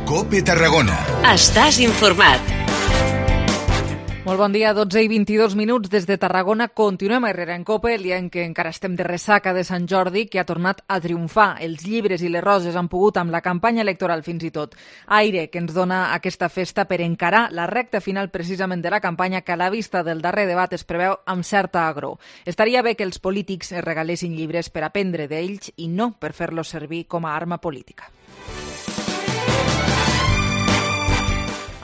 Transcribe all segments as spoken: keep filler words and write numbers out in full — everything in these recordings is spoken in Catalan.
COPE Tarragona. Estàs informat. Molt bon dia, dotze i vint-i-dos minuts des de Tarragona. Continuem a Herrera en COPE, el dia en què encara estem de ressaca de Sant Jordi, que ha tornat a triomfar. Els llibres i les roses han pogut amb la campanya electoral fins i tot. Aire que ens dona aquesta festa per encarar la recta final precisament de la campanya, que a la vista del darrer debat es preveu amb certa agror. Estaria bé que els polítics es regalessin llibres per aprendre d'ells i no per fer-los servir com a arma política.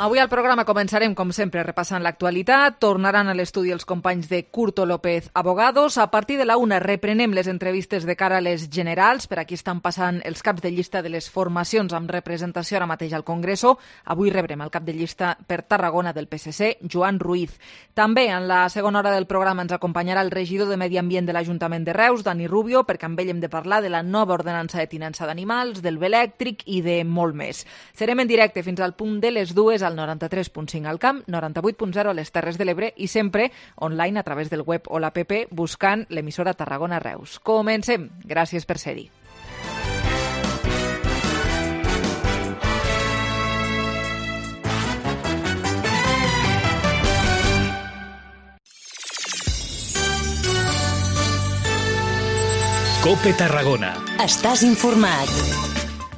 Avui al programa començarem, com sempre, repassant l'actualitat. Tornaran a l'estudi els companys de Curto López Abogados. A partir de la una reprenem les entrevistes de cara a les generals. Per aquí estan passant els caps de llista de les formacions amb representació ara mateix al Congreso. Avui rebrem el cap de llista per Tarragona del P S C, Joan Ruiz. També en la segona hora del programa ens acompanyarà el regidor de Medi Ambient de l'Ajuntament de Reus, Dani Rubio, perquè amb ell hem de parlar de la nova ordenança de tinença d'animals, del bé elèctric i de molt més. Serem en directe fins al punt de les dues al noranta-tres punt cinc al camp, noranta-vuit punt zero a les Terres de l'Ebre i sempre online a través del web o l'app buscant l'emissora Tarragona Reus. Comencem. Gràcies per ser-hi. COPE Tarragona. Estàs informat.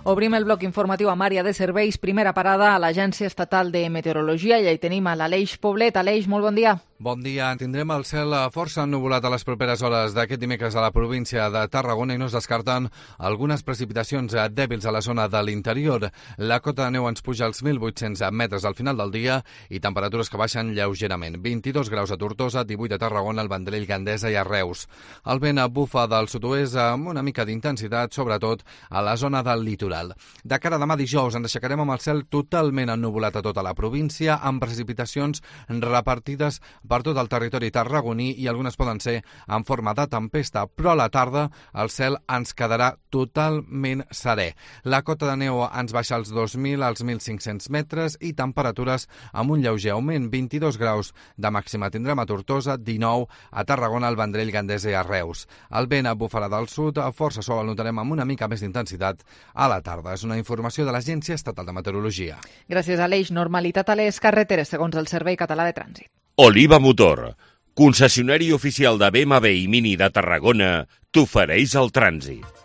Obrim el bloc informatiu amb àrea de serveis. Primera parada a l'Agència Estatal de Meteorologia. I ja hi tenim a l'Aleix Poblet. Aleix, molt bon dia. Bon dia. Tindrem el cel força ennuvolat a les properes hores d'aquest dimecres a la província de Tarragona i no es descarten algunes precipitacions dèbils a la zona de l'interior. La cota de neu ens puja als mil vuit-cents metres al final del dia i temperatures que baixen lleugerament. vint-i-dos graus a Tortosa, divuit a Tarragona, al Vendrell, Gandesa i a Reus. El vent bufa del sud-oest amb una mica d'intensitat, sobretot a la zona del litoral. De cara a demà dijous ens aixecarem amb el cel totalment ennuvolat a tota la província, amb precipitacions repartides per tot el territori tarragoní i algunes poden ser en forma de tempesta, però a la tarda el cel ens quedarà totalment serè. La cota de neu ens baixa als dos mil als mil cinc-cents metres i temperatures amb un lleuger augment, vint-i-dos graus de màxima tindrem a Tortosa, dinou a Tarragona, al Vendrell, Gandesa i a Reus. El vent bufarà del sud, força sol el notarem amb una mica més d'intensitat a la tarda. És una informació de l'Agència Estatal de Meteorologia. Gràcies, Aleix. Normalitat a les carreteres, segons el Servei Català de Trànsit. Oliva Motor, concessionari oficial de B M W i Mini de Tarragona, t'ofereix el trànsit.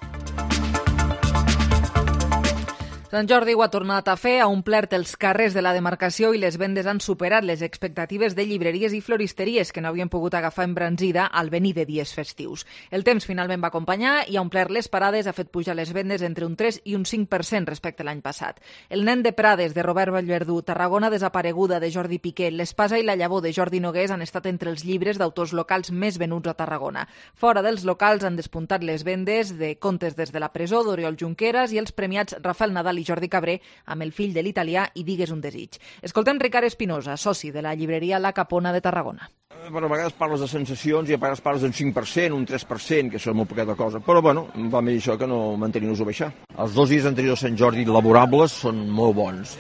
Sant Jordi ho ha tornat a fer, ha omplert els carrers de la demarcació i les vendes han superat les expectatives de llibreries i floristeries que no havien pogut agafar embranzida al venir de dies festius. El temps finalment va acompanyar i ha omplert les parades, ha fet pujar les vendes entre un tres i un cinc per cent respecte a l'any passat. El nen de Prades, de Robert Vallverdú, Tarragona desapareguda, de Jordi Piqué, l'Espasa i la llavor, de Jordi Nogués, han estat entre els llibres d'autors locals més venuts a Tarragona. Fora dels locals han despuntat les vendes de Contes des de la presó, d'Oriol Junqueras, i els premiats Rafael Nadal i Jordi Cabré amb El fill de l'italià i Digues un desig. Escoltem Ricard Espinosa, soci de la llibreria La Capona de Tarragona. Bueno, a vegades parles de sensacions i a vegades parles d'un cinc per cent, un tres per cent, que això és molt poqueta cosa. Però, bueno, va més això que no mantenir-nos-ho baixar. Els dos dies anteriors a Sant Jordi laborables són molt bons.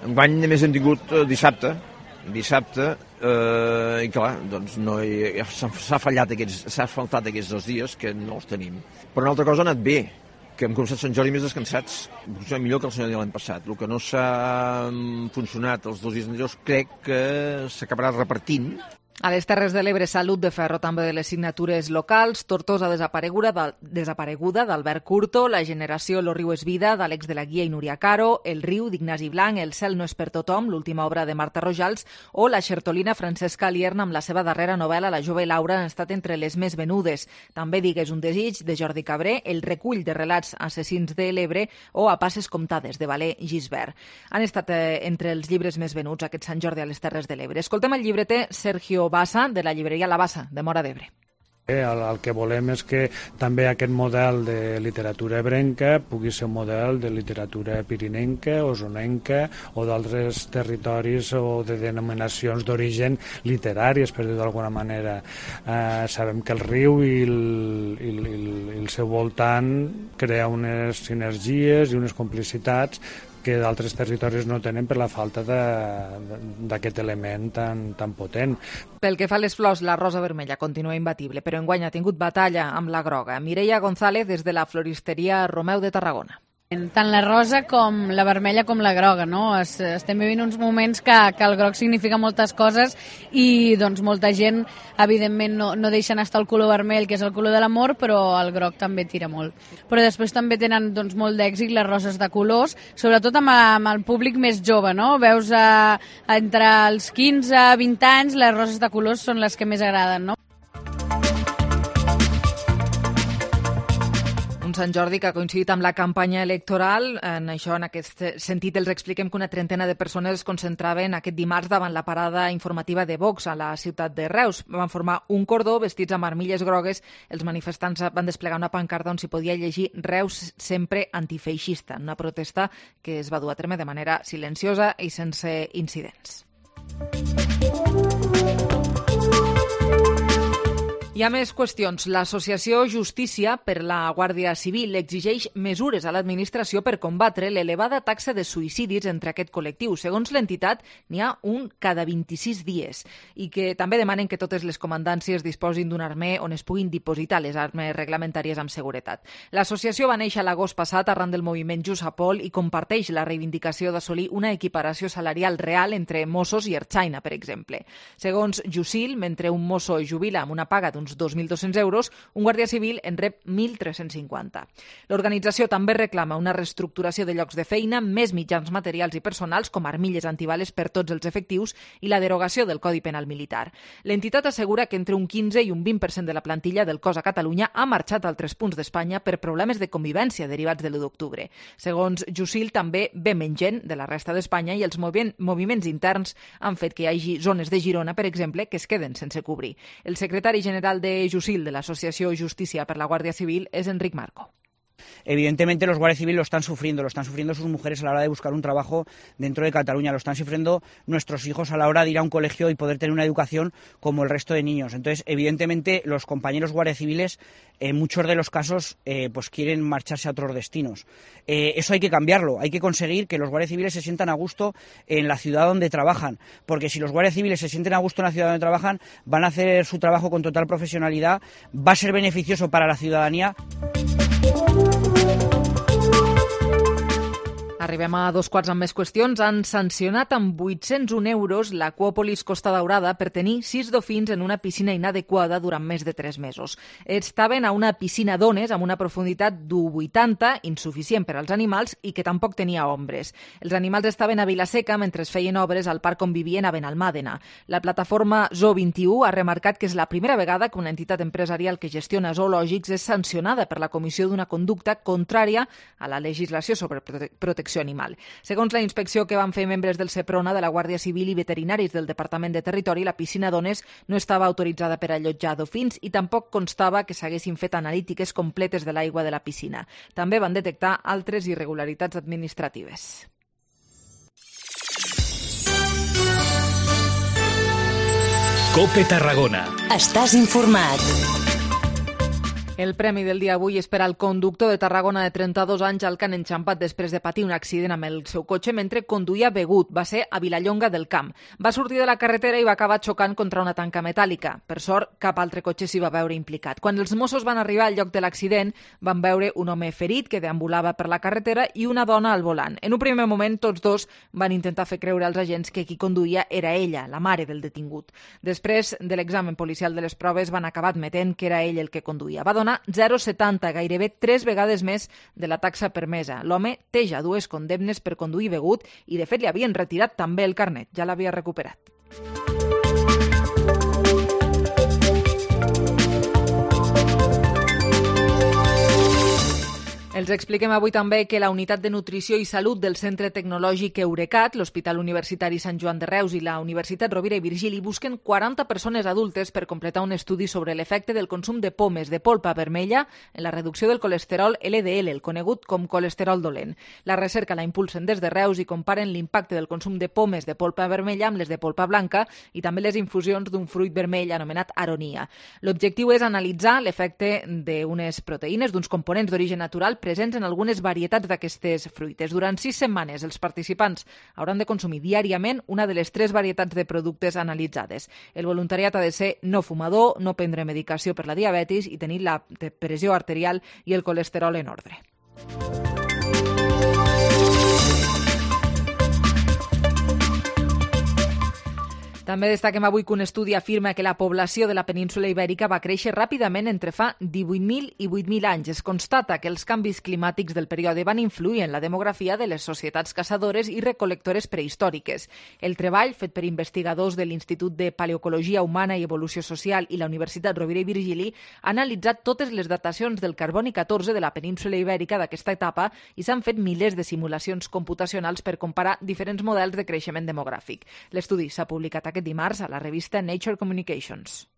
Enguany, només hem tingut eh, dissabte, dissabte, eh, i clar, doncs no hi, s'ha fallat aquests, s'ha faltat aquests dos dies que no els tenim. Però una altra cosa ha anat bé, que hem començat Sant Jordi més descansats, potser millor que el senyor de l'any passat. El que no s'ha funcionat els dos dies anteriors crec que s'acabarà repartint. A les Terres de l'Ebre, Salut de Ferro també de les signatures locals, Tortosa desapareguda, desapareguda d'Albert Curto, La generació Lo riu és vida d'Àlex de la Guia i Núria Caro, El riu d'Ignasi Blanc, El cel no és per tothom, l'última obra de Marta Rojals, o La xertolina Francesca Alierna amb la seva darrera novel·la La jove Laura han estat entre les més venudes. També Digues un desig de Jordi Cabré, El recull de relats assassins de l'Ebre o A passes comptades de Valer Gisbert. Han estat eh, entre els llibres més venuts aquest Sant Jordi a les Terres de l'Ebre. Escoltem el llibreter Sergio Bassa, de la llibreria La Bassa, de Móra d'Ebre. El, el que volem és que també aquest model de literatura ebrenca pugui ser un model de literatura pirinenca, osonenca o d'altres territoris o de denominacions d'origen literàries, per dir-ho d'alguna manera. Eh, sabem que el riu i el, i, el, i el seu voltant crea unes sinergies i unes complicitats que d'altres territoris no tenen per la falta d'aquest element tan, tan potent. Pel que fa a les flors, la rosa vermella continua imbatible, però enguany ha tingut batalla amb la groga. Mireia González, des de la floristeria Romeu de Tarragona. Tant la rosa com la vermella com la groga, no? Es, estem vivint uns moments que, que el groc significa moltes coses i doncs molta gent, evidentment, no, no deixen estar el color vermell, que és el color de l'amor, però el groc també tira molt. Però després també tenen doncs, molt d'èxit les roses de colors, sobretot amb, amb el públic més jove, no? Veus a, a entre els quinze i vint anys, les roses de colors són les que més agraden, no? Un Sant Jordi que ha coincidit amb la campanya electoral. En això, en aquest sentit, els expliquem que una trentena de persones es concentraven aquest dimarts davant la parada informativa de Vox a la ciutat de Reus. Van formar un cordó vestits amb armilles grogues. Els manifestants van desplegar una pancarta on s'hi podia llegir Reus sempre antifeixista, una protesta que es va dur a terme de manera silenciosa i sense incidents. Hi ha més qüestions. L'associació Justícia per la Guàrdia Civil exigeix mesures a l'administració per combatre l'elevada taxa de suïcidis entre aquest col·lectiu. Segons l'entitat, n'hi ha un cada vint-i-sis dies i que també demanen que totes les comandàncies disposin d'un armer on es puguin dipositar les armes reglamentàries amb seguretat. L'associació va néixer l'agost passat arran del moviment Just a Pol i comparteix la reivindicació d'assolir una equiparació salarial real entre Mossos i Ertzaina, per exemple. Segons Jusil, mentre un mosso jubila amb una paga d'un dos mil dos-cents euros, un guàrdia civil en rep mil tres-cents cinquanta. L'organització també reclama una reestructuració de llocs de feina, més mitjans materials i personals, com armilles antibales per tots els efectius, i la derogació del Codi Penal Militar. L'entitat assegura que entre un quinze i un vint per cent de la plantilla del cos a Catalunya ha marxat a altres punts d'Espanya per problemes de convivència derivats de l'u d'octubre. Segons Jusil, també ve menys gent de la resta d'Espanya i els moviments interns han fet que hi hagi zones de Girona, per exemple, que es queden sense cobrir. El secretari general de Jusil, de l'Asociació Justícia per la Guàrdia Civil, és Enric Marco. Evidentemente los guardias civiles lo están sufriendo, lo están sufriendo sus mujeres a la hora de buscar un trabajo dentro de Cataluña, lo están sufriendo nuestros hijos a la hora de ir a un colegio y poder tener una educación como el resto de niños. Entonces, evidentemente, los compañeros guardias civiles, en muchos de los casos, eh, pues quieren marcharse a otros destinos. Eh, eso hay que cambiarlo, hay que conseguir que los guardias civiles se sientan a gusto en la ciudad donde trabajan, porque si los guardias civiles se sienten a gusto en la ciudad donde trabajan, van a hacer su trabajo con total profesionalidad, va a ser beneficioso para la ciudadanía. Arribem a dos quarts amb més qüestions. Han sancionat amb vuit-cents un euros l'Aquòpolis Costa Daurada per tenir sis dofins en una piscina inadequada durant més de tres mesos. Estaven a una piscina d'ones amb una profunditat d'un vuitanta, insuficient per als animals i que tampoc tenia ombres. Els animals estaven a Vilaseca mentre es feien obres al parc on vivien a Benalmàdena. La plataforma Zoo vint i u ha remarcat que és la primera vegada que una entitat empresarial que gestiona zoològics és sancionada per la comissió d'una conducta contrària a la legislació sobre prote- protecció animal. Segons la inspecció que van fer membres del Seprona, de la Guàrdia Civil i veterinaris del Departament de Territori, la piscina d'ones no estava autoritzada per allotjar dofins i tampoc constava que s'haguessin fet analítiques completes de l'aigua de la piscina. També van detectar altres irregularitats administratives. COPE Tarragona. Estàs informat. El premi del dia avui és per al conductor de Tarragona de trenta-dos anys al que han enxampat després de patir un accident amb el seu cotxe mentre conduïa begut. Va ser a Vilallonga del Camp. Va sortir de la carretera i va acabar xocant contra una tanca metàl·lica. Per sort, cap altre cotxe s'hi va veure implicat. Quan els Mossos van arribar al lloc de l'accident, van veure un home ferit que deambulava per la carretera i una dona al volant. En un primer moment, tots dos van intentar fer creure als agents que qui conduïa era ella, la mare del detingut. Després de l'examen policial de les proves, van acabar admetent que era ell el que conduïa. Va donar zero coma setanta, gairebé tres vegades més de la taxa permesa. L'home té ja dues condemnes per conduir begut i, de fet, li havien retirat també el carnet. Ja l'havia recuperat. Els expliquem avui també que la Unitat de Nutrició i Salut del Centre Tecnològic Eurecat, l'Hospital Universitari Sant Joan de Reus i la Universitat Rovira i Virgili busquen quaranta persones adultes per completar un estudi sobre l'efecte del consum de pomes de polpa vermella en la reducció del colesterol L D L, el conegut com colesterol dolent. La recerca la impulsen des de Reus i comparen l'impacte del consum de pomes de polpa vermella amb les de polpa blanca i també les infusions d'un fruit vermell anomenat aronia. L'objectiu és analitzar l'efecte d'unes proteïnes, d'uns components d'origen natural presents en algunes varietats d'aquestes fruites. Durant sis setmanes, els participants hauran de consumir diàriament una de les tres varietats de productes analitzades. El voluntariat ha de ser no fumador, no prendre medicació per la diabetis i tenir la pressió arterial i el colesterol en ordre. També destaquem avui que un estudi afirma que la població de la península Ibèrica va créixer ràpidament entre fa divuit mil i vuit mil anys. Es constata que els canvis climàtics del període van influir en la demografia de les societats caçadores i recol·lectores prehistòriques. El treball, fet per investigadors de l'Institut de Paleocologia Humana i Evolució Social i la Universitat Rovira i Virgili, ha analitzat totes les datacions del carboni catorze de la península Ibèrica d'aquesta etapa i s'han fet milers de simulacions computacionals per comparar diferents models de creixement demogràfic. L'estudi s'ha publicat aquest dimarts a la revista Nature Communications.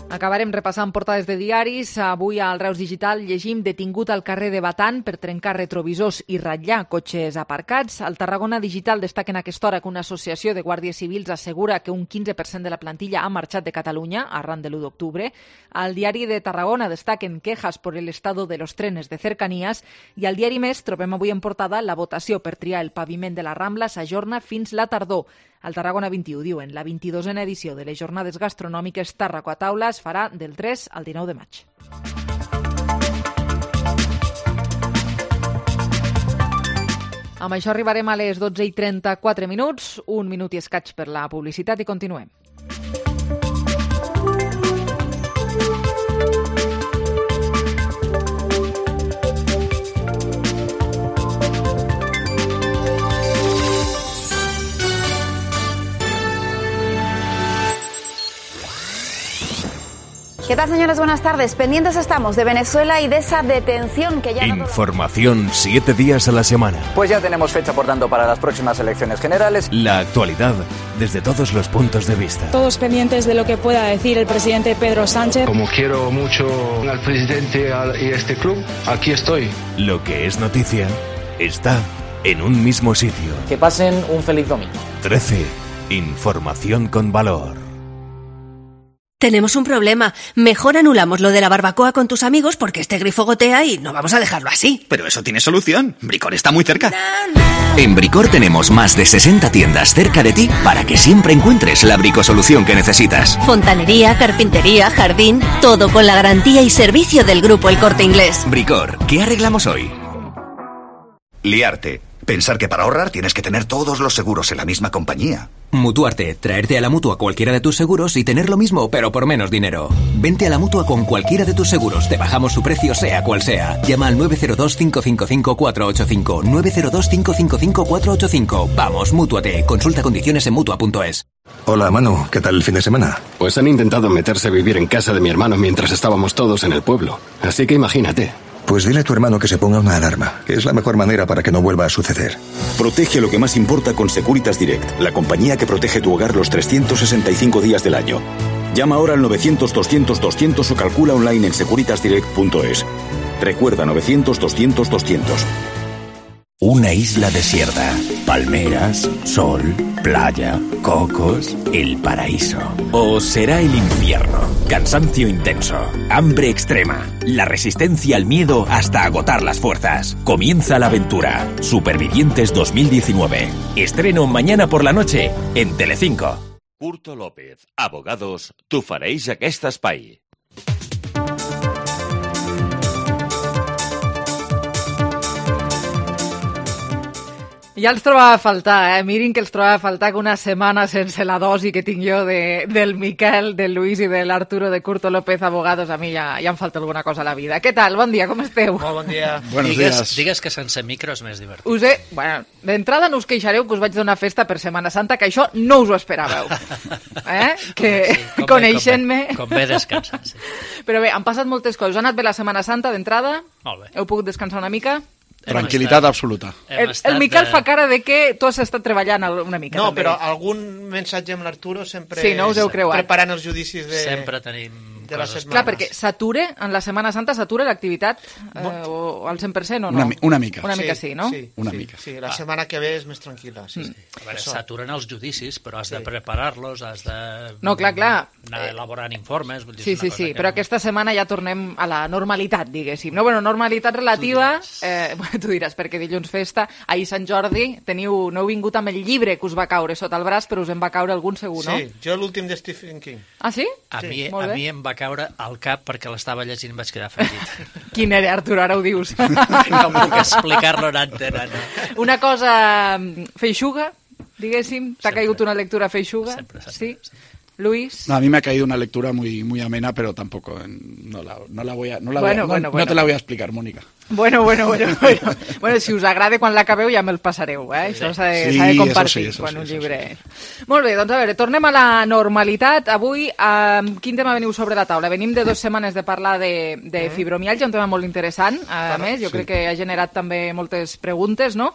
Acabarem repassant portades de diaris. Avui al Reus Digital llegim detingut al carrer de Batan per trencar retrovisors i ratllar cotxes aparcats. Al Tarragona Digital destaca en aquesta hora que una associació de guàrdies civils assegura que un quinze per cent de la plantilla ha marxat de Catalunya arran de l'u d'octubre. Al Diari de Tarragona destaquen quejas por el estado de los trenes de cercanías i al Diari Més trobem avui en portada la votació per triar el paviment de la Rambla s'ajorna fins la tardor. Al Tarragona vint-i-u diuen la vint-i-dosena edició de les jornades gastronòmiques Tàrraco a taula es farà del tres al dinou de maig. Amb això arribarem a les dotze i trenta-quatre minuts, un minut i escaig per la publicitat i continuem. ¿Qué tal, señores? Buenas tardes. Pendientes estamos de Venezuela y de esa detención que ya... Información siete días a la semana. Pues ya tenemos fecha, por tanto, para las próximas elecciones generales. La actualidad desde todos los puntos de vista. Todos pendientes de lo que pueda decir el presidente Pedro Sánchez. Como quiero mucho al presidente y a este club, aquí estoy. Lo que es noticia está en un mismo sitio. Que pasen un feliz domingo. trece. Información con valor. Tenemos un problema. Mejor anulamos lo de la barbacoa con tus amigos porque este grifo gotea y no vamos a dejarlo así. Pero eso tiene solución. Bricor está muy cerca. En Bricor tenemos más de sesenta tiendas cerca de ti para que siempre encuentres la bricosolución que necesitas. Fontanería, carpintería, jardín, todo con la garantía y servicio del Grupo El Corte Inglés. Bricor, ¿qué arreglamos hoy? Liarte. Pensar que para ahorrar tienes que tener todos los seguros en la misma compañía. Mutuarte, traerte a la Mutua cualquiera de tus seguros y tener lo mismo, pero por menos dinero. Vente a la Mutua con cualquiera de tus seguros, te bajamos su precio sea cual sea. Llama al nueve cero dos, cinco cinco cinco, cuatro ocho cinco, nueve cero dos, cinco cinco cinco, cuatro ocho cinco. Vamos, Mútuate, consulta condiciones en Mutua punto es. Hola, Manu, ¿qué tal el fin de semana? Pues han intentado meterse a vivir en casa de mi hermano mientras estábamos todos en el pueblo, así que imagínate. Pues dile a tu hermano que se ponga una alarma, que es la mejor manera para que no vuelva a suceder. Protege lo que más importa con Securitas Direct, la compañía que protege tu hogar los trescientos sesenta y cinco días del año. Llama ahora al novecientos, doscientos, doscientos o calcula online en securitas direct punto es. Recuerda novecientos, doscientos, doscientos. Una isla desierta, palmeras, sol, playa, cocos, el paraíso. O será el infierno, cansancio intenso, hambre extrema, la resistencia al miedo hasta agotar las fuerzas. Comienza la aventura. Supervivientes dos mil diecinueve. Estreno mañana por la noche en Telecinco. Curto López, abogados, t'ofereix aquest espai. Ja els trobava a faltar, eh? Mirin que els trobava a faltar que una setmana sense la dosi que tinc jo de, del Miquel, del Luis i de l'Arturo de Curto López Abogados, a mi ja, ja em falta alguna cosa a la vida. Què tal? Bon dia, com esteu? Molt bon dia. Buenos digues, días. Digues que sense micro és més divertit. Us he... Bueno, d'entrada no us queixareu que us vaig donar festa per Setmana Santa, que això no us ho esperàveu. Eh? Que sí, coneixent-me... Com, com bé descansant, sí. Però bé, han passat moltes coses. Ha anat bé la Setmana Santa d'entrada? Molt bé. Heu pogut descansar una mica? Tranquil·litat absoluta. El, el Miquel de... fa cara de que tu has estat treballant una mica. No, també. però algun mensatge amb l'Arturo sempre... Sí, no us heu creuat. Preparant els judicis de... Sempre tenim de les setmanes. Clar, perquè s'ature, en la Setmana Santa s'atura l'activitat eh, o al cent per cent o no? Una, una mica. Una mica sí, sí no? Sí, una sí, mica. Sí, la setmana que ve és més tranquil·la. Sí, sí. A veure, s'aturen els judicis, però has sí. de preparar-los, has de... No, clar, clar. Anar elaborant informes. Vull dir, sí, sí, sí, que... però aquesta setmana ja tornem a la normalitat, diguéssim. No, bueno, normalitat relativa, tu diràs, eh, tu diràs perquè dilluns festa, ahir Sant Jordi, teniu, no heu vingut amb el llibre que us va caure sota el braç, però us en va caure algun segur, no? Sí, jo l'últim de Stephen King. Ah, sí? A, sí. Mi, a mi em va caure al cap perquè l'estava llegint i em vaig quedar afegit. Quin era, Artur, ara ho dius? No puc explicar-lo en antena, no. Una cosa feixuga, diguéssim, t'ha caigut una lectura feixuga? Sempre, sempre. Sí? sempre. Luis. No, a mí me ha caído una lectura muy, muy amena, pero tampoco no la, no la voy a, no la bueno, voy a, bueno, no, bueno. no te la voy a explicar, Mónica. Bueno, bueno, bueno, bueno. Bueno, si us agrada quan l'acabeu ja me'l passareu, eh? Això s'ha de, sí, de compartir eso sí, eso quan sí, un eso llibre... sí. Molt bé, doncs a veure, tornem a la normalitat. Avui, eh, quin tema veniu sobre la taula? Venim de dues setmanes de parlar de, de fibromialgia, un tema molt interessant, a Clar, més, jo sí. crec que ha generat també moltes preguntes, no?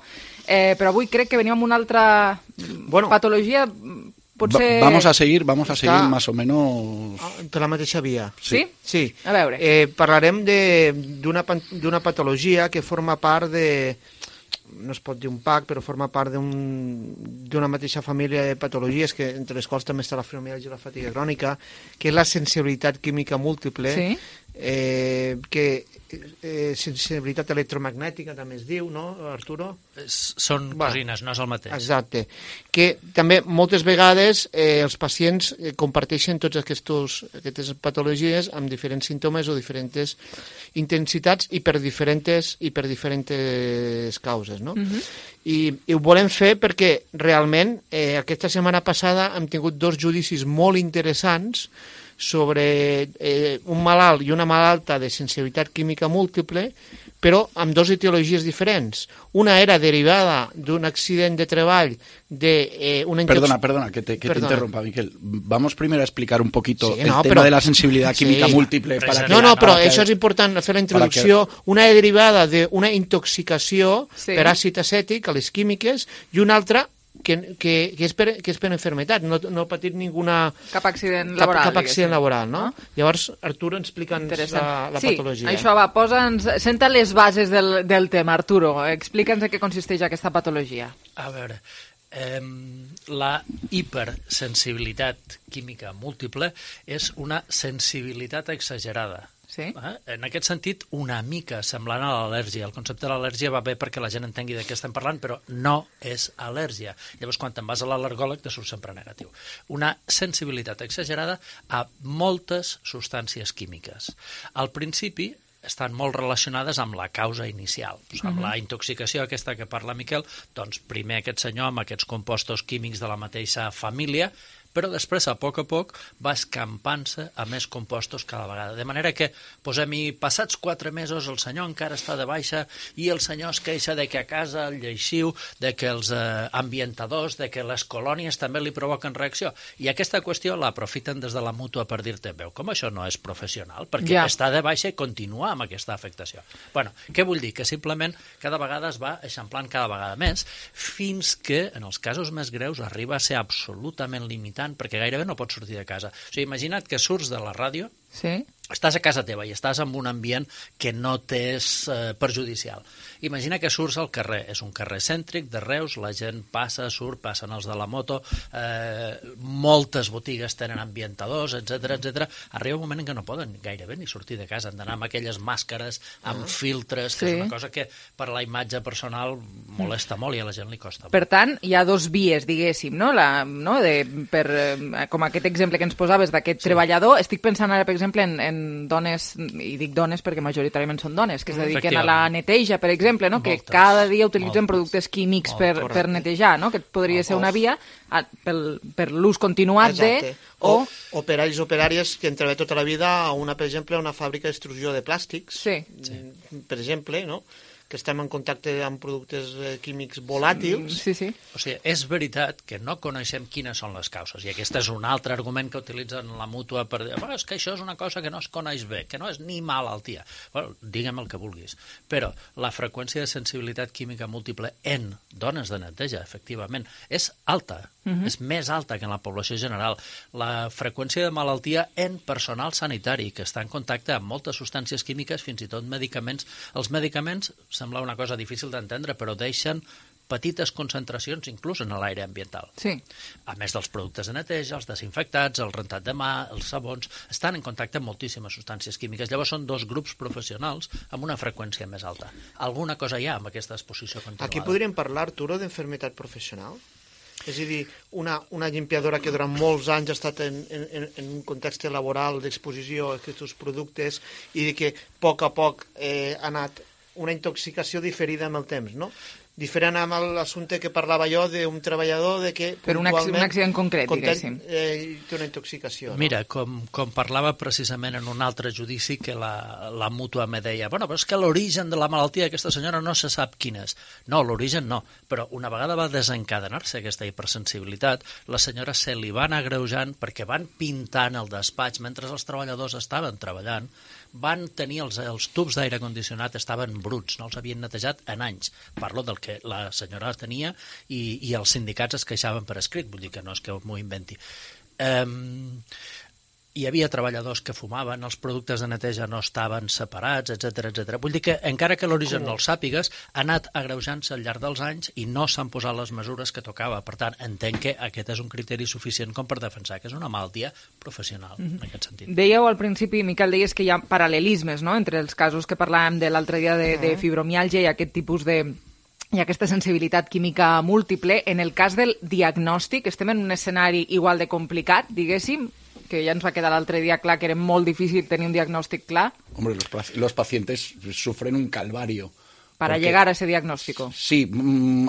Eh, però avui crec que venim amb una altra bueno, patologia... Potser... Va, vamos a seguir, vamos a Està... seguir más o menos... Per la mateixa via. Sí? Sí. A veure. Eh, parlarem d'una patologia que forma part de... no es pot dir un pack, però forma part d'una un, mateixa família de patologies, que entre les quals també està la fibromialgia i la fatiga crònica, que és la sensibilitat química múltiple, sí. eh, que eh, sensibilitat electromagnètica també es diu, no, Arturo? Són bueno, cosines, no és el mateix. Exacte. Que també moltes vegades eh, els pacients eh, comparteixen tots aquests, aquestes patologies amb diferents símptomes o diferents intensitats i per diferents, i per diferents causes, no? Uh-huh. I, I ho volem fer perquè realment eh, aquesta setmana passada hem tingut dos judicis molt interessants sobre eh, un malalt i una malalta de sensibilitat química múltiple, però amb dues etiologies diferents. Una era derivada d'un accident de treball de eh, una intox... Perdona, perdona, que te, que perdona. te interrumpa, Miquel. Vamos primero a explicar un poquito sí, el no, tema però... de la sensibilidad química sí. múltiple. Para no, que, no, però que... això és important fer la introducció. Que... Una derivada d'una intoxicació sí. per àcid acètic a les químiques i una altra que, que, que, és per, que és per enfermetat, no, no ha patit ninguna... Cap accident laboral. Cap, cap accident laboral, no? no? Llavors, Arturo, explica'ns la, la sí, patologia. Sí, això va, posa'ns... Senta les bases del, del tema, Arturo. Explica'ns en què consisteix aquesta patologia. A veure, eh, la hipersensibilitat química múltiple és una sensibilitat exagerada. Sí. Eh? En aquest sentit, una mica semblant a l'al·lèrgia. El concepte de l'al·lèrgia va bé perquè la gent entengui de què estem parlant, però no és al·lèrgia. Llavors, quan te'n vas a l'al·lergòleg, te surt sempre negatiu. Una sensibilitat exagerada a moltes substàncies químiques. Al principi, estan molt relacionades amb la causa inicial. Pues amb uh-huh. la intoxicació aquesta que parla Miquel, doncs primer aquest senyor amb aquests compostos químics de la mateixa família, però després, a poc a poc, va escampant-se a més compostos cada vegada. De manera que, posem-hi, passats quatre mesos el senyor encara està de baixa i el senyor es queixa de que a casa el lleixiu, de que els eh, ambientadors, de que les colònies també li provoquen reacció. I aquesta qüestió l'aprofiten des de la mútua per dir-te, veu, com això no és professional, perquè ja. està de baixa i continua amb aquesta afectació. Bueno, què vull dir? Que simplement cada vegada es va eixamplant cada vegada més, fins que, en els casos més greus, arriba a ser absolutament limitant perquè gairebé no pots sortir de casa. O sigui, imagina't que surts de la ràdio, sí. estàs a casa teva i estàs en un ambient que no t'és eh, perjudicial. Imagina que surts al carrer, és un carrer cèntric de Reus, la gent passa, surt, passen els de la moto, eh, moltes botigues tenen ambientadors, etcètera, etcètera. Arriba un moment en què no poden gairebé ni sortir de casa, han d'anar amb aquelles màscares, amb filtres, que sí. és una cosa que per la imatge personal molesta molt i a la gent li costa molt. Per tant, hi ha dos vies, diguéssim, no? La, no? De, per, eh, com aquest exemple que ens posaves d'aquest sí. treballador, estic pensant ara, per exemple, en, en dones, i dic dones perquè majoritàriament són dones, que es dediquen a la neteja, per exemple, no? Que moltes, cada dia utilitzen moltes. productes químics Molt, per, per netejar, no? Que podria ser una via a, pel, per l'ús continuat Exacte. de... O, o operaris o operàries que han treballat tota la vida a una, per exemple, a una fàbrica d'extrusió de plàstics, sí. per exemple, no? Que estem en contacte amb productes eh, químics volàtils. Sí, sí. O sigui, és veritat que no coneixem quines són les causes, i aquest és un altre argument que utilitzen la mútua per dir, oh, és que això és una cosa que no es coneix bé, que no és ni malaltia. Bueno, digue'm el que vulguis. Però la freqüència de sensibilitat química múltiple en dones de neteja, efectivament, és alta. Uh-huh. És més alta que en la població general. La freqüència de malaltia en personal sanitari, que està en contacte amb moltes substàncies químiques, fins i tot medicaments. Els medicaments, sembla una cosa difícil d'entendre, però deixen petites concentracions inclús en l'aire ambiental. Sí. A més dels productes de neteja, els desinfectats, el rentat de mà, els sabons, estan en contacte amb moltíssimes substàncies químiques. Llavors són dos grups professionals amb una freqüència més alta. Alguna cosa hi ha amb aquesta exposició continuada. Aquí podríem parlar, Arturo, d'enfermetat professional? És a dir, una, una limpiadora que durant molts anys ha estat en, en, en un context laboral d'exposició a aquests productes i que a poc a poc eh, ha anat una intoxicació diferida amb el temps, no? Diferent amb l'assumpte que parlava jo d'un treballador de que per un, un accident concret, diguéssim. Eh, té una intoxicació. No? Mira, com, com parlava precisament en un altre judici que la, la mútua me deia bueno, però és que l'origen de la malaltia d'aquesta senyora no se sap quin és. No, l'origen no, però una vegada va desencadenar-se aquesta hipersensibilitat, la senyora se li va anar agreujant perquè van pintant el despatx mentre els treballadors estaven treballant, van tenir els, els tubs d'aire condicionat estaven bruts, no els havien netejat en anys. Parlo del que la senyora tenia i, i els sindicats es queixaven per escrit, vull dir que no és que m'ho inventi. Um, hi havia treballadors que fumaven, els productes de neteja no estaven separats, etcètera, etcètera. Vull dir que, encara que l'origen no el sàpigues, ha anat agreujant-se al llarg dels anys i no s'han posat les mesures que tocava. Per tant, entenc que aquest és un criteri suficient com per defensar que és una malaltia professional, mm-hmm. en aquest sentit. Dèieu al principi, Miquel, deies que hi ha paral·lelismes, no?, entre els casos que parlàvem de l'altre dia de, de fibromiàlgia i aquest tipus de... i aquesta sensibilitat química múltiple. En el cas del diagnòstic, estem en un escenari igual de complicat, diguéssim, que ya nos va a quedar l'altre día clar que era molt difícil tenir un diagnóstico claro. Hombre, los, los pacientes sufren un calvario. Para porque, llegar a ese diagnóstico. Sí,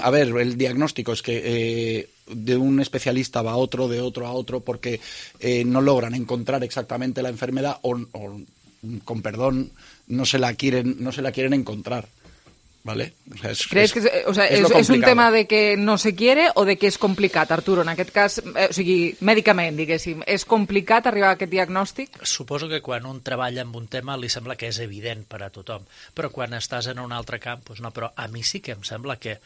a ver, el diagnóstico es que eh, de un especialista va a otro, de otro a otro, porque eh, no logran encontrar exactamente la enfermedad o, o, con perdón, no se la quieren, no se la quieren encontrar. ¿Vale? O sea, es, ¿Crees es, que o sea, és, és un tema de que no se quiere o de que és complicat, Arturo? En aquest cas, eh, o sigui, mèdicament, diguéssim, és complicat arribar a aquest diagnòstic? Suposo que quan un treballa en un tema li sembla que és evident per a tothom, però quan estàs en un altre camp, doncs no, però a mi sí que em sembla que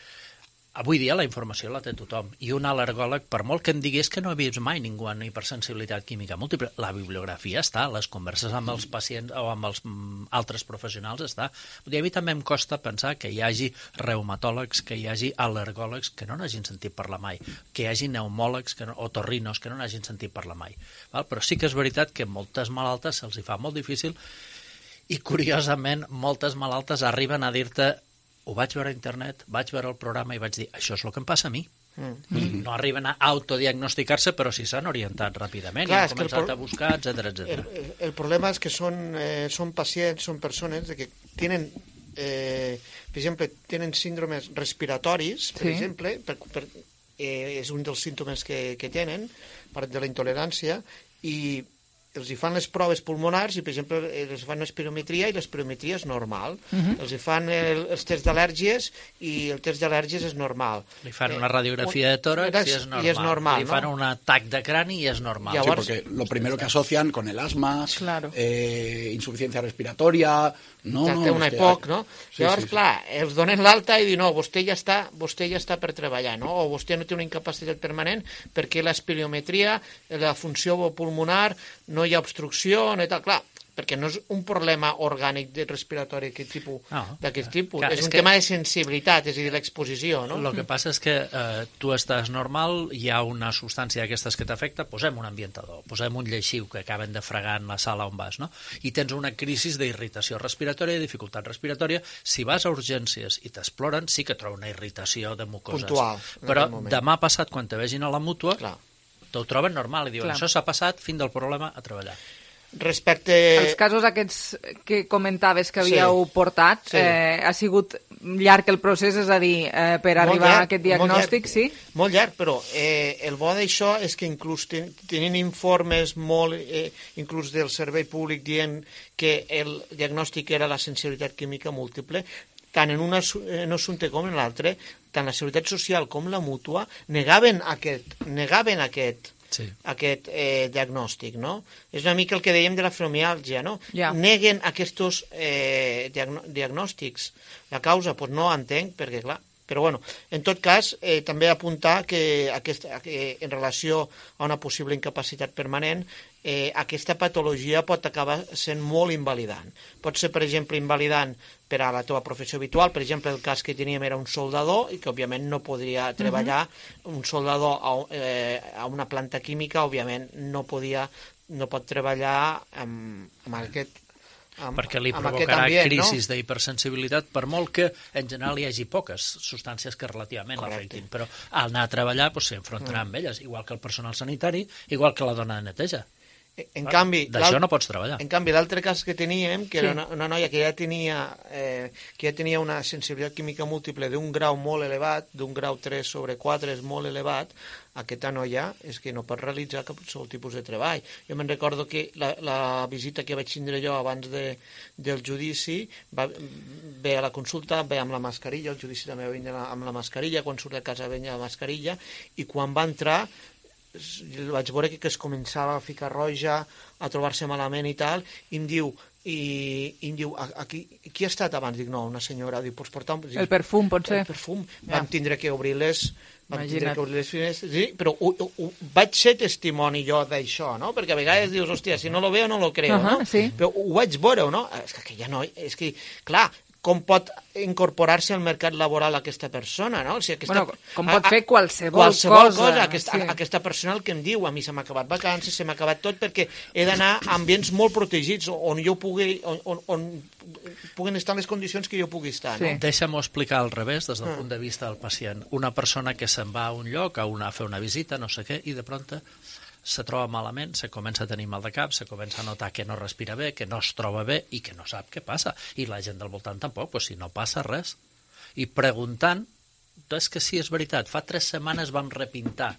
avui dia la informació la té tothom, i un al·lergòleg, per molt que em digués que no he vist mai ningú amb hipersensibilitat química múltiple, la bibliografia està, les converses amb els pacients o amb els mm, altres professionals està. A mi també em costa pensar que hi hagi reumatòlegs, que hi hagi al·lergòlegs que no n'hagin sentit parlar mai, que hi hagi pneumòlegs que no, o torrinos que no n'hagin sentit parlar mai. Val? Però sí que és veritat que moltes malaltes se'ls hi fa molt difícil i, curiosament, moltes malaltes arriben a dir-te ho vaig veure a internet, vaig veure el programa i vaig dir, això és el que em passa a mi. Mm. I no arriben a autodiagnosticar-se, però sí s'han orientat ràpidament Clar, i han començat pro... a buscar, etcètera, etcètera. El, el, el problema és que són, eh, són pacients, són persones de que tenen, eh, per exemple, tenen síndromes respiratoris, per sí. exemple, per, per, eh, és un dels símptomes que, que tenen, part de la intolerància, i els hi fan les proves pulmonars i, per exemple, els fan espirometria i l'espirometria és normal. Uh-huh. Els hi fan el, els tests d'al·lèrgies i el test d'al·lèrgies és normal. Li fan una radiografia eh, de tòrax i és normal. I és normal, Li fan ¿no? un atac de crani i és normal. Llavors, sí, porque lo primero que asocian con el asma, claro. eh, insuficiencia respiratoria... No, ja no, té una E P O C, no? Sí, Llavors, sí, sí. clar, els donen l'alta i diuen, no, vostè ja està, vostè ja està per treballar, no? O vostè no té una incapacitat permanent perquè l'espirometria, la funció pulmonar, no hi ha obstrucció, no i tal. Clar, perquè no és un problema orgànic de respiratori d'aquest tipus, no, d'aquest tipus. Clar, és, és un que... tema de sensibilitat, és a dir, l'exposició, no? El que passa és que eh, tu estàs normal, hi ha una substància d'aquestes que t'afecta, posem un ambientador, posem un lleixiu que acaben de fregar en la sala on vas, no? I tens una crisi d'irritació respiratòria, dificultat respiratòria. Si vas a urgències i t'exploren, sí que troba una irritació de mucoses. Puntual. Però demà passat, quan te vegin a la mútua, t'ho troben normal i diuen, Clar. això s'ha passat, fin del problema, a treballar. Respecte... Els casos aquests que comentaves que havíeu sí, portat, sí. Eh, ha sigut llarg el procés, és a dir, eh, per molt arribar llarg, a aquest diagnòstic, molt llarg, sí? Molt llarg, però eh, el bo d'això és que inclús ten, tenint informes molt, eh, inclús del servei públic dient que el diagnòstic era la sensibilitat química múltiple, tant en un assumpte com en l'altre, tant la Seguretat Social com la Mútua negaven aquest, negaven aquest Sí. aquest eh, diagnòstic, no? És una mica el que dèiem de la fibromiàlgia, no? Yeah. Neguen aquests eh, diagn diagnòstics. La causa, doncs no entenc, perquè clar, però bueno, en tot cas, eh, també apuntar que, aquesta, que en relació a una possible incapacitat permanent, eh, aquesta patologia pot acabar sent molt invalidant. Pot ser, per exemple, invalidant per a la teva professió habitual. Per exemple, el cas que teníem era un soldador i que, òbviament, no podria treballar. Uh-huh. Un soldador a, eh, a una planta química, òbviament, no podia, no pot treballar amb, amb aquest amb, perquè li amb provocarà ambient, crisis no? d'hipersensibilitat, per molt que en general hi hagi poques substàncies que relativament l'afectin, però al anar a treballar doncs, s'enfrontarà mm. amb elles, igual que el personal sanitari, igual que la dona de neteja. En canvi, d'això no pots treballar. En canvi, l'altre cas que teníem, que sí. era una, una noia que ja tenia eh, que ja tenia una sensibilitat química múltiple d'un grau molt elevat, d'un grau tres sobre quatre és molt elevat, aquesta noia és que no pot realitzar cap tipus de treball. Jo me'n recordo que la, la visita que vaig tindre jo abans de, del judici, va, ve a la consulta, ve amb la mascarilla, el judici també va venir amb la mascarilla, quan surt de casa venia la mascarilla, i quan va entrar vaig veure que es començava a ficar roja, a trobar-se malament i tal, i em diu, i, i em diu aquí, qui ha estat abans? Dic, no, una senyora. Diu, pots portar un... Dic, el perfum, pot ser. El perfum. Ja. Vam tindre que obrir les... Vam tindre que obrir les finestres, sí, però ho, ho, ho, vaig ser testimoni jo d'això, no? Perquè a vegades dius, hòstia, si no lo veo no lo creo, uh -huh, no? Sí. Però ho vaig veure, no? És que aquella noia, és que, clar, com pot incorporar-se al mercat laboral aquesta persona, no? O sigui, aquesta, bueno, com pot fer qualsevol, qualsevol cosa. cosa aquesta, sí. aquesta persona el que em diu, a mi se m'ha acabat vacances, se m'ha acabat tot, perquè he d'anar a ambients molt protegits, on jo pugui, on, on, on puguen estar les condicions que jo pugui estar. Sí. No? Deixa'm-ho explicar al revés, des del ah. punt de vista del pacient. Una persona que se'n va a un lloc, a, una, a fer una visita, no sé què, i de pronto se troba malament, se comença a tenir mal de cap, se comença a notar que no respira bé, que no es troba bé i que no sap què passa. I la gent del voltant tampoc, doncs si no passa res. I preguntant, és que sí, és veritat, fa tres setmanes vam repintar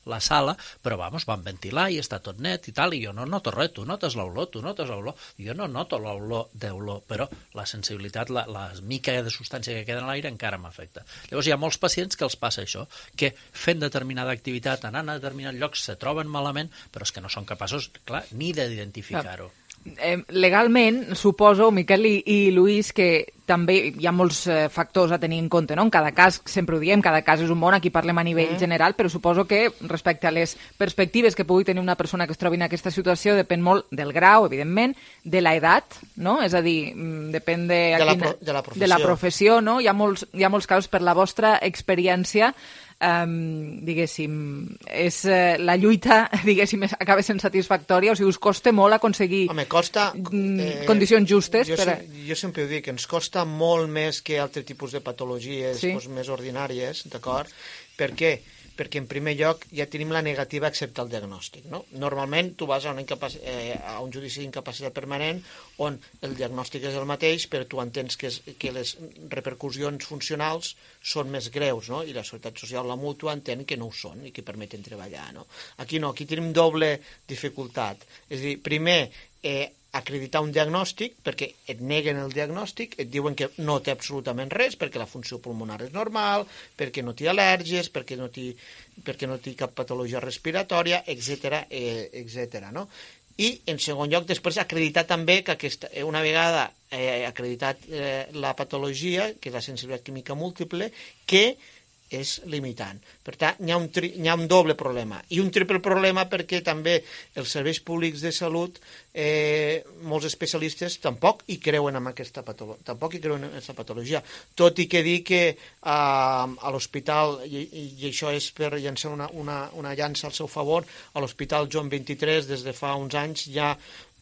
la sala, però vamos, vam ventilar i està tot net i tal, i jo no noto res, tu notes l'olor, tu notes l'olor, jo no noto l'olor d'olor, però la sensibilitat, la, la mica de substància que queda en l'aire encara m'afecta. Llavors hi ha molts pacients que els passa això, que fent determinada activitat, anant a determinats llocs, se troben malament, però és que no són capaços, clar, ni d'identificar-ho. Eh, legalment, suposo, Miquel i, i Lluís, que també hi ha molts eh, factors a tenir en compte, no? En cada cas, sempre ho diem, cada cas és un món, aquí parlem a nivell mm. general, però suposo que respecte a les perspectives que pugui tenir una persona que es trobi en aquesta situació depèn molt del grau, evidentment, de l'edat, no? És a dir, depèn de, de, la, quina, pro, de, la, professió. de la professió, no? Hi ha molts, hi ha molts casos, per la vostra experiència, Um, diguéssim, és, uh, la lluita, diguéssim, acaba sent satisfactòria, o sigui, us costa molt aconseguir Home, costa, eh, condicions justes. Jo, per a... sem jo sempre ho dic, ens costa molt més que altres tipus de patologies sí. doncs, més ordinàries, d'acord? Per què? Perquè en primer lloc ja tenim la negativa a acceptar el diagnòstic. No? Normalment tu vas a, una eh, a un judici d'incapacitat permanent on el diagnòstic és el mateix, però tu entens que, és, que les repercussions funcionals són més greus, no? I la Seguretat Social, la mútua, entén que no ho són i que permeten treballar. No? Aquí no, aquí tenim doble dificultat. És a dir, primer, eh, acreditar un diagnòstic, perquè et neguen el diagnòstic, et diuen que no té absolutament res, perquè la funció pulmonar és normal, perquè no té al·lèrgies, perquè no té, perquè no té cap patologia respiratòria, etcètera, eh, etcètera, no? I, en segon lloc, després acreditar també que aquesta, una vegada eh, acreditat eh, la patologia, que és la sensibilitat química múltiple, que és limitant. Per tant, hi ha, un tri hi ha un doble problema. I un triple problema perquè també els serveis públics de salut, eh, molts especialistes tampoc hi creuen en aquesta patologia, tampoc hi creuen en aquesta patologia. Tot i que dir que eh, a l'hospital, i, i això és per llançar una, una, una llança al seu favor, a l'Hospital Joan vint-i-tres des de fa uns anys hi ha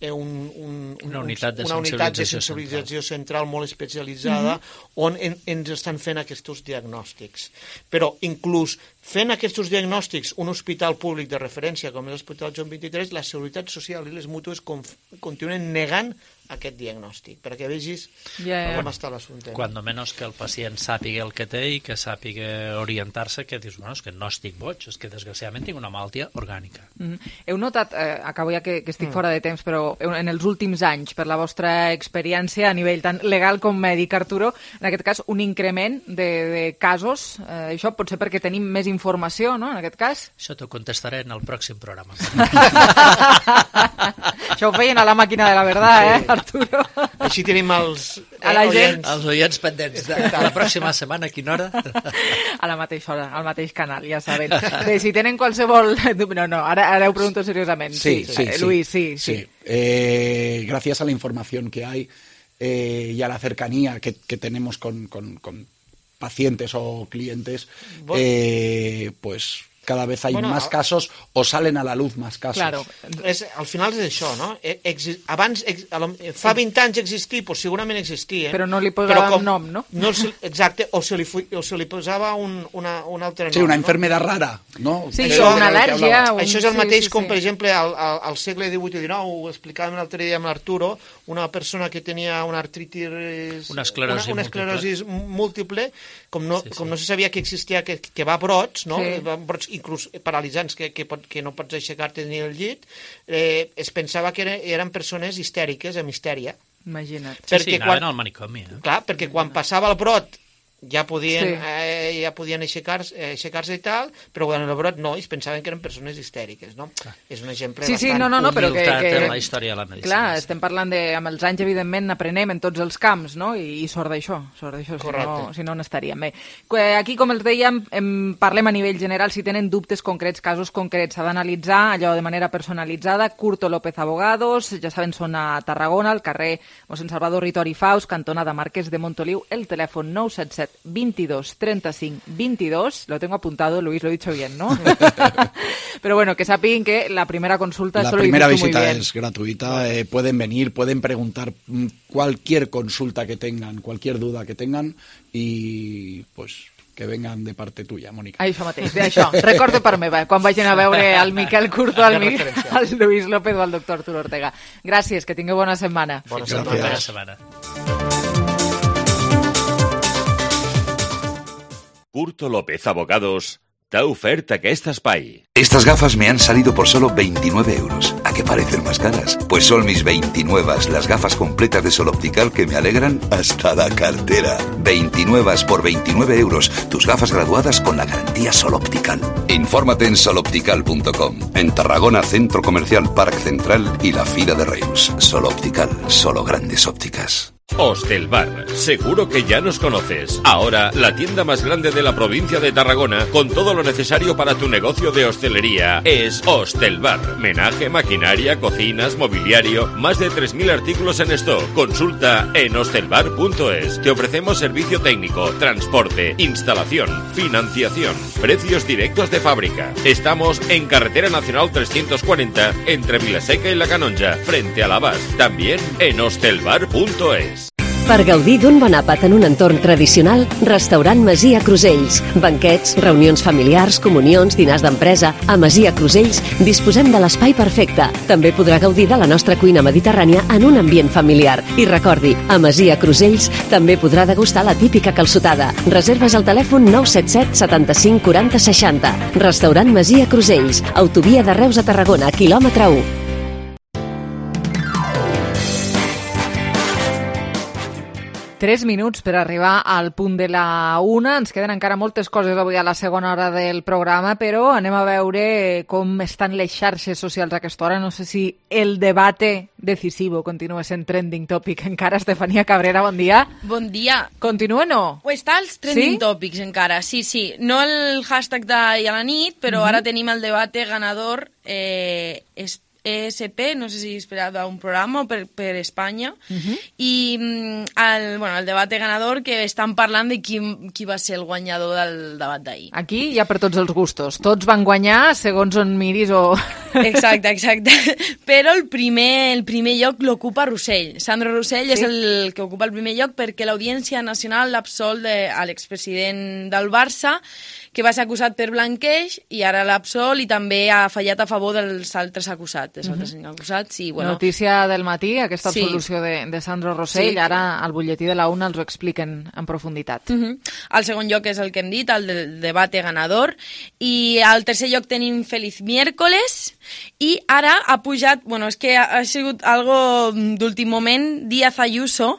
Un, un, una unitat de una unitat de sensibilització sensibilització central, central molt especialitzada mm-hmm. on en, ens estan fent aquests diagnòstics. Però inclús fent aquests diagnòstics un hospital públic de referència com és l'Hospital Joan vint-i-tres, la Seguretat Social i les mútues continuen negant aquest diagnòstic, perquè vegis yeah, yeah. com està l'assumpte. Quan menys que el pacient sàpiga el que té i que sàpiga orientar-se, que dius, bueno, és que no estic boig, és que desgraciadament tinc una malaltia orgànica. Mm. Heu notat, eh, acabo ja que, que estic mm. fora de temps, però en els últims anys, per la vostra experiència a nivell tant legal com mèdic, Arturo, en aquest cas, un increment de, de casos, eh, això pot ser perquè tenim més informació, no?, en aquest cas? Això t'ho contestaré en el pròxim programa. Això ho feien a la màquina de la verdad, sí. eh, Arturo? Així tenim els, eh, a la gent. oients. Els oients pendents. De, de la pròxima setmana, a quina hora? A la mateixa hora, al mateix canal, ja saben. Bé, si tenen qualsevol... No, no, ara, ara ho pregunto seriosament. Sí, sí, sí. sí. Luis, sí, sí. sí. Eh, gracias a la información que hay eh, y a la cercanía que, que tenemos con, con, con pacientes o clientes, eh, pues cada vez hay bueno, más casos o salen a la luz más casos. Claro, és, al final és això, no? Exi abans, ex a lo, fa vint anys existia, pues segurament existia. Però no li posava un nom, no? no se, exacte, o se li, o se li posava un, una, un altre nom. Sí, una enfermedad no? rara, no? Sí, això, una al·lèrgia. Un... Això és el mateix sí, sí, com, sí. per exemple, al, al, al segle divuit i dinou, ho explicàvem l'altre dia amb l'Arturo, una persona que tenia una artritis... Una esclerosi, una, una esclerosi múltiple, múltiple com, no, sí, sí. com no se sabia que existia, que, que va a brots, no? Sí. Va a brots inclús paralitzants, que, que, pot, que no pots aixecar-te ni el llit, eh, es pensava que eren, eren persones histèriques, amb histèria. Imagina't. Sí, sí, anaven quan, al manicomi. Eh? Clar, perquè quan passava el brot ja podien, sí. eh, ja podien aixecar-se aixecar i tal, però quan el brot no, ells pensaven que eren persones histèriques, no? Clar. És un exemple sí, bastant... Sí, no, no, no, però que... que... en la història de la medicina. Clar, estem parlant de... Amb els anys, evidentment, n'aprenem en tots els camps, no? I, i sort d'això, sort d'això, si no, si no n'estaríem bé. Aquí, com els dèiem, em parlem a nivell general, si tenen dubtes concrets, casos concrets, s'ha d'analitzar allò de manera personalitzada. Curto López Abogados, ja saben, són a Tarragona, al carrer Mossèn Salvador Ritori Faus, cantonada Marquès de Montoliu, el telèfon nou set set veintidós treinta-cinc veintidós, lo tengo apuntado, Luis, lo he dicho bien, ¿no? Pero bueno, que saben que la primera consulta... La solo primera visita es gratuita, eh, pueden venir, pueden preguntar cualquier consulta que tengan, cualquier duda que tengan y pues... que vengan de parte tuya, Mònica. Això mateix, això. Recordo per meva, quan vagin a veure el Miquel Curto, el, Miquel, el Luis López o el doctor Arturo Ortega. Gràcies, que tingueu bona setmana. Bona setmana. Bona setmana. Curto López Abogados t'ha ofert aquest espai. Estas gafas me han salido por solo veintinueve euros. ¿A qué parecen más caras? Pues son mis veintinueve, las gafas completas de Sol Optical que me alegran hasta la cartera. veintinueve por veintinueve euros. Tus gafas graduadas con la garantía Sol Optical. Infórmate en sol optical punto com. En Tarragona, Centro Comercial Parc Central y la Fira de Reus. Sol Optical, solo grandes ópticas. Hostelbar, seguro que ya nos conoces. Ahora, la tienda más grande de la provincia de Tarragona, con todo lo necesario para tu negocio de hostelería, es Hostelbar. Menaje, maquinaria, cocinas, mobiliario, más de tres mil artículos en stock. Consulta en hostelbar punto es. Te ofrecemos servicio técnico, transporte, instalación, financiación, precios directos de fábrica. Estamos en Carretera Nacional trescientos cuarenta, entre Vilaseca y La Canonja, frente a l'Abast. También en hostelbar punto es. Per gaudir d'un bon àpat en un entorn tradicional, Restaurant Masia Crusells. Banquets, reunions familiars, comunions, dinars d'empresa. A Masia Crusells disposem de l'espai perfecte. També podrà gaudir de la nostra cuina mediterrània en un ambient familiar. I recordi, a Masia Crusells també podrà degustar la típica calçotada. Reserves al telèfon nou set set setanta-cinc quaranta seixanta. Restaurant Masia Crusells. Autovia de Reus a Tarragona, quilòmetre u. Tres minuts per arribar al punt de la una. Ens queden encara moltes coses avui a la segona hora del programa, però anem a veure com estan les xarxes socials a aquesta hora. No sé si el debate decisivo continua sent trending topic encara. Estefania Cabrera, bon dia. Bon dia. Continua o no? O està els trending sí? topics encara, sí, sí. No el hashtag d'ahir a la nit, però uh-huh. ara tenim el debate ganador eh, és E S P, no sé si esperava un programa o per, per Espanya, uh-huh. i el, bueno, el debat ganador que estan parlant de qui, qui va ser el guanyador del debat d'ahir. Aquí hi ha per tots els gustos. Tots van guanyar segons on miris o... Exacte, exacte. Però el primer, el primer lloc l'ocupa Rossell. Sandro Rossell sí. és el que ocupa el primer lloc perquè l'Audiència Nacional l'absol de, a l'expresident del Barça, que va ser acusat per blanqueig i ara l'absol i també ha fallat a favor dels altres acusats. Els altres uh-huh. acusats i, bueno... Notícia del matí, aquesta absolució sí. de, de Sandro Rossell. Sí. Ara al butlletí de la una els ho expliquen en profunditat. Uh-huh. El segon lloc és el que hem dit, el del debate ganador. I al tercer lloc tenim Feliz Miércoles. I ara ha pujat, bueno, és que ha, ha sigut algo d'últim moment, Díaz Ayuso,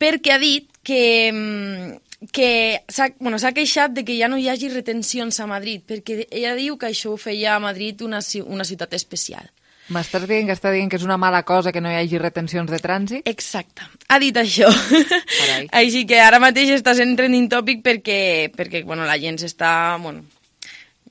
perquè ha dit que... que s'ha bueno, s'ha queixat de que ja no hi hagi retencions a Madrid, perquè ella diu que això ho feia a Madrid una, una ciutat especial. M'estàs dient que està dient que és una mala cosa que no hi hagi retencions de trànsit? Exacte, ha dit això. Així que ara mateix està sent trending topic perquè, perquè bueno, la gent s'està... Bueno,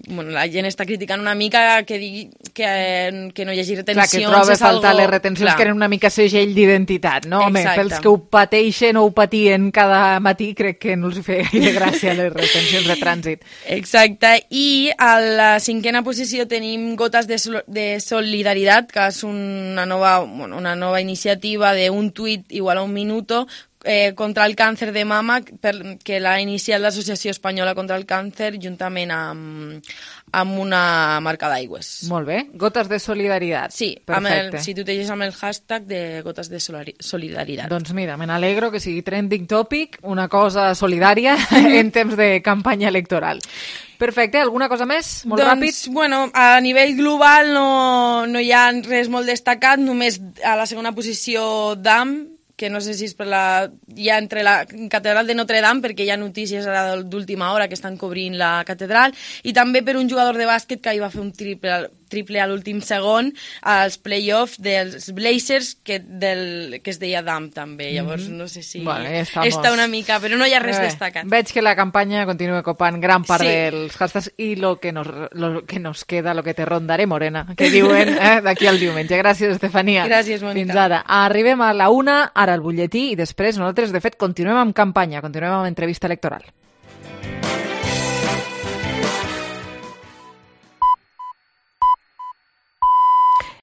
bueno, la gent està criticant una mica que digui que, que no hi hagi retencions. Clar, que troba a faltar algo... les retencions, clar, que eren una mica segell d'identitat, no? Home, exacte. Pels que ho pateixen o ho patien cada matí, crec que no els feia gaire gràcia les retencions de trànsit. Exacte, i a la cinquena posició tenim Gotas de, Sol de Solidaritat, que és una nova, bueno, una nova iniciativa d'un tuit igual a un minuto, Eh, contra el càncer de mama, per, que l'ha iniciat l'Associació Espanyola contra el Càncer juntament amb, amb una marca d'aigües. Molt bé. Gotes de solidaritat. Sí, amb el, si tu t'eixes amb el hashtag de Gotes de Solidaritat. Doncs mira, me n'alegro que sigui trending topic, una cosa solidària en temps de campanya electoral. Perfecte, alguna cosa més? Molt doncs, ràpid? Doncs, bueno, a nivell global no, no hi ha res molt destacat, només a la segona posició D A M, que no sé si és per la... ja entre la catedral de Notre Dame, perquè hi ha notícies ara d'última hora que estan cobrint la catedral, i també per un jugador de bàsquet que hi va fer un triple, triple a l'últim segon als play-offs dels Blazers, que, del, que es deia D A M també, llavors mm -hmm. no sé si vale, està una mica, però no hi ha res eh, destacat. Veig que la campanya continua copant gran part sí. dels hashtags i lo que, nos, lo que nos queda, lo que te rondaré, morena, que diuen eh, d'aquí al diumenge. Gràcies, Estefania. Gràcies, Mónica. Fins ara. Arribem a la una, ara el butlletí, i després nosaltres, de fet, continuem amb campanya, continuem amb entrevista electoral.